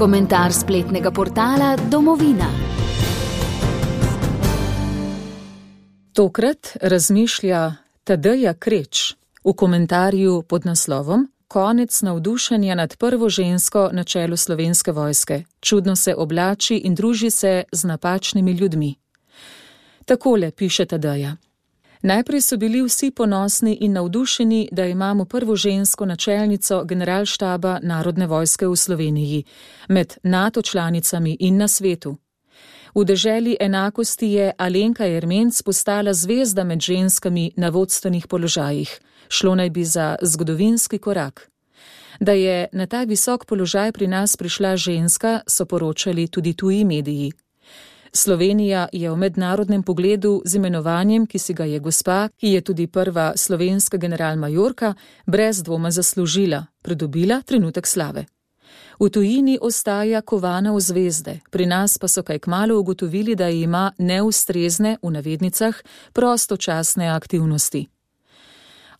Komentar spletnega portala Domovina. Tokrat razmišlja Tadeja Kreč v komentarju pod naslovom Konec navdušenja nad prvo žensko na čelu Slovenske vojske. Čudno se oblači in druži se z napačnimi ljudmi. Takole piše Tadeja. Najprej so bili vsi ponosni in navdušeni, da imamo prvo žensko načelnico generalštaba Narodne vojske v Sloveniji, med NATO članicami in na svetu. V deželi enakosti je Alenka Ermenc postala zvezda med ženskami na vodstvenih položajih. Šlo naj bi za zgodovinski korak. Da je na ta visok položaj pri nas prišla ženska, so poročali tudi tuji mediji. Slovenija je v mednarodnem pogledu z imenovanjem, ki si ga je gospa, ki je tudi prva slovenska generalmajorka, brez dvoma zaslužila, pridobila trenutek slave. V tujini ostaja kovana v zvezde, pri nas pa so kaj kmalu ugotovili, da ima neustrezne, v navednicah, prostočasne aktivnosti.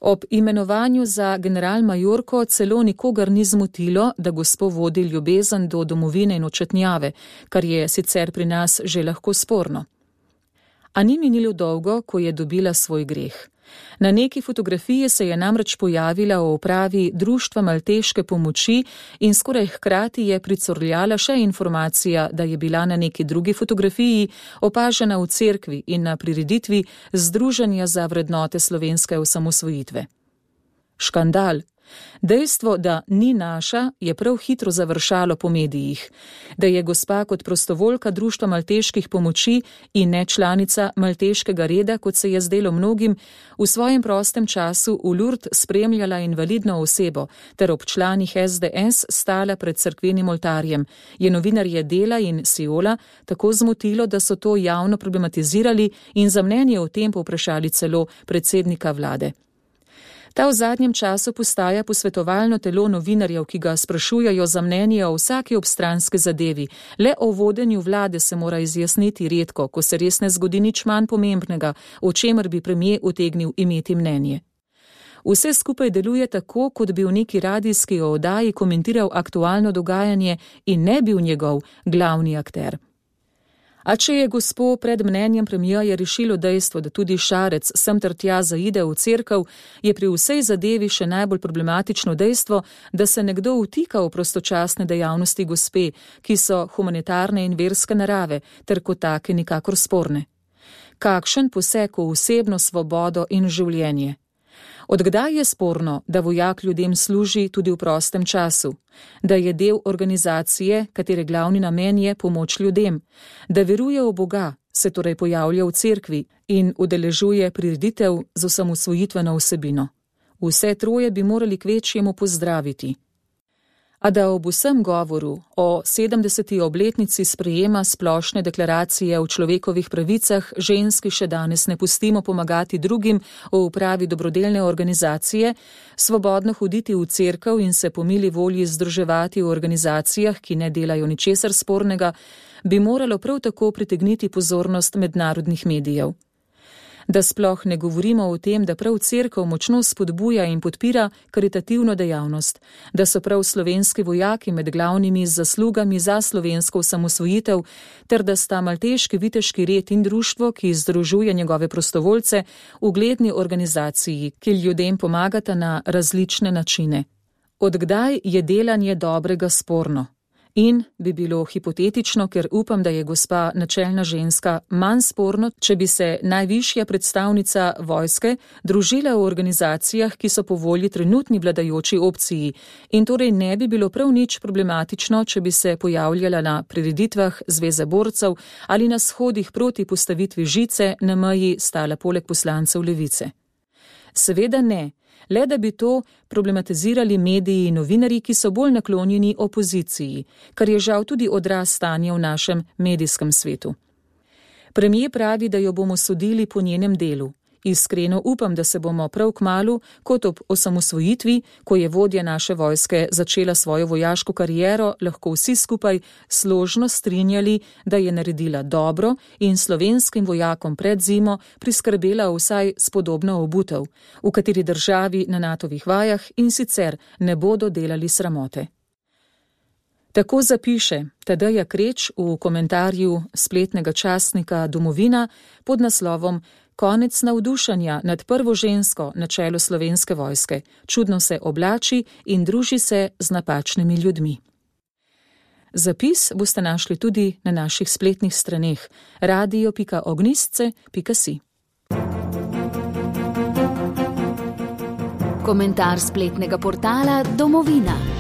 Ob imenovanju za generalmajorko celo nikogar ni zmotilo, da gospo vodi ljubezen do domovine in očetnjave, kar je sicer pri nas že lahko sporno. A ni minilo dolgo, ko je dobila svoj greh. Na neki fotografiji se je namreč pojavila v upravi Društva malteške pomoči in skoraj hkrati je pricurljala še informacija, da je bila na neki drugi fotografiji opažena v cerkvi in na prireditvi Združenja za vrednote slovenske osamosvojitve. Škandal. Dejstvo, da ni naša, je prav hitro završalo po medijih. Da je gospa kot prostovoljka Društva malteških pomoči in ne članica malteškega reda, kot se je zdelo mnogim, v svojem prostem času v Lourdes spremljala invalidno osebo ter ob članih SDS stala pred cerkvenim oltarjem, je novinarje Dela in Siola tako zmotilo, da so to javno problematizirali in za mnenje o tem povprašali celo predsednika vlade. Ta v zadnjem času postaja posvetovalno telo novinarjev, ki ga sprašujejo za mnenje o vsaki obstranski zadevi. Le o vodenju vlade se mora izjasniti redko, ko se res ne zgodi nič manj pomembnega, o čemer bi premier utegnil imeti mnenje. Vse skupaj deluje tako, kot bi v neki radijski oddaji komentiral aktualno dogajanje in ne bil njegov glavni akter. A če je gospo pred mnenjem premierja rešilo dejstvo, da tudi Šarec sem ter tja zaide v cerkev, je pri vsej zadevi še najbolj problematično dejstvo, da se nekdo vtika v prostočasne dejavnosti gospe, ki so humanitarne in verske narave, ter kot take nikakor sporne. Kakšen poseg v osebno svobodo in življenje? Odkdaj je sporno, da vojak ljudem služi tudi v prostem času, da je del organizacije, katere glavni namen je pomoč ljudem, da veruje v Boga, se torej pojavlja v cerkvi in udeležuje prireditev z osamosvojitveno vsebino. Vse troje bi morali kvečjemu pozdraviti. A da ob vsem govoru o 70. obletnici sprejema splošne deklaracije o človekovih pravicah ženski še danes ne pustimo pomagati drugim v upravi dobrodelne organizacije, svobodno hoditi v cerkev in se po mili volji združevati v organizacijah, ki ne delajo ničesar spornega, bi moralo prav tako pritegniti pozornost mednarodnih medijev. Da sploh ne govorimo o tem, da prav cerkev močno spodbuja in podpira karitativno dejavnost, da so prav slovenski vojaki med glavnimi z zaslugami za slovensko osamosvojitev, ter da sta malteški viteški red in društvo, ki združuje njegove prostovoljce, ugledni organizaciji, ki ljudem pomagata na različne načine. Od kdaj je delanje dobrega sporno? In bi bilo hipotetično, ker upam, da je gospa načelna ženska, manj sporno, če bi se najvišja predstavnica vojske družila v organizacijah, ki so po volji trenutni vladajoči opciji, in torej ne bi bilo prav nič problematično, če bi se pojavljala na prireditvah Zveze borcev ali na shodih proti postavitvi žice na meji stala poleg poslancev Levice. Seveda ne. Le da bi to problematizirali mediji in novinarji, ki so bolj naklonjeni opoziciji, kar je žal tudi odraz stanja v našem medijskem svetu. Premier pravi, da jo bomo sodili po njenem delu. Iskreno upam, da se bomo prav kmalu, kot ob osamosvojitvi, ko je vodja naše vojske začela svojo vojaško kariero, lahko vsi skupaj složno strinjali, da je naredila dobro in slovenskim vojakom pred zimo priskrbela vsaj spodobno obutev, v kateri državi na NATO-vih vajah in sicer ne bodo delali sramote. Tako zapiše Tadeja Kreč v komentarju spletnega časnika Domovina pod naslovom Konec navdušenja nad prvo žensko na čelu Slovenske vojske. Čudno se oblači in druži se z napačnimi ljudmi. Zapis boste našli tudi na naših spletnih straneh radio.ognistce.si. Komentar spletnega portala Domovina.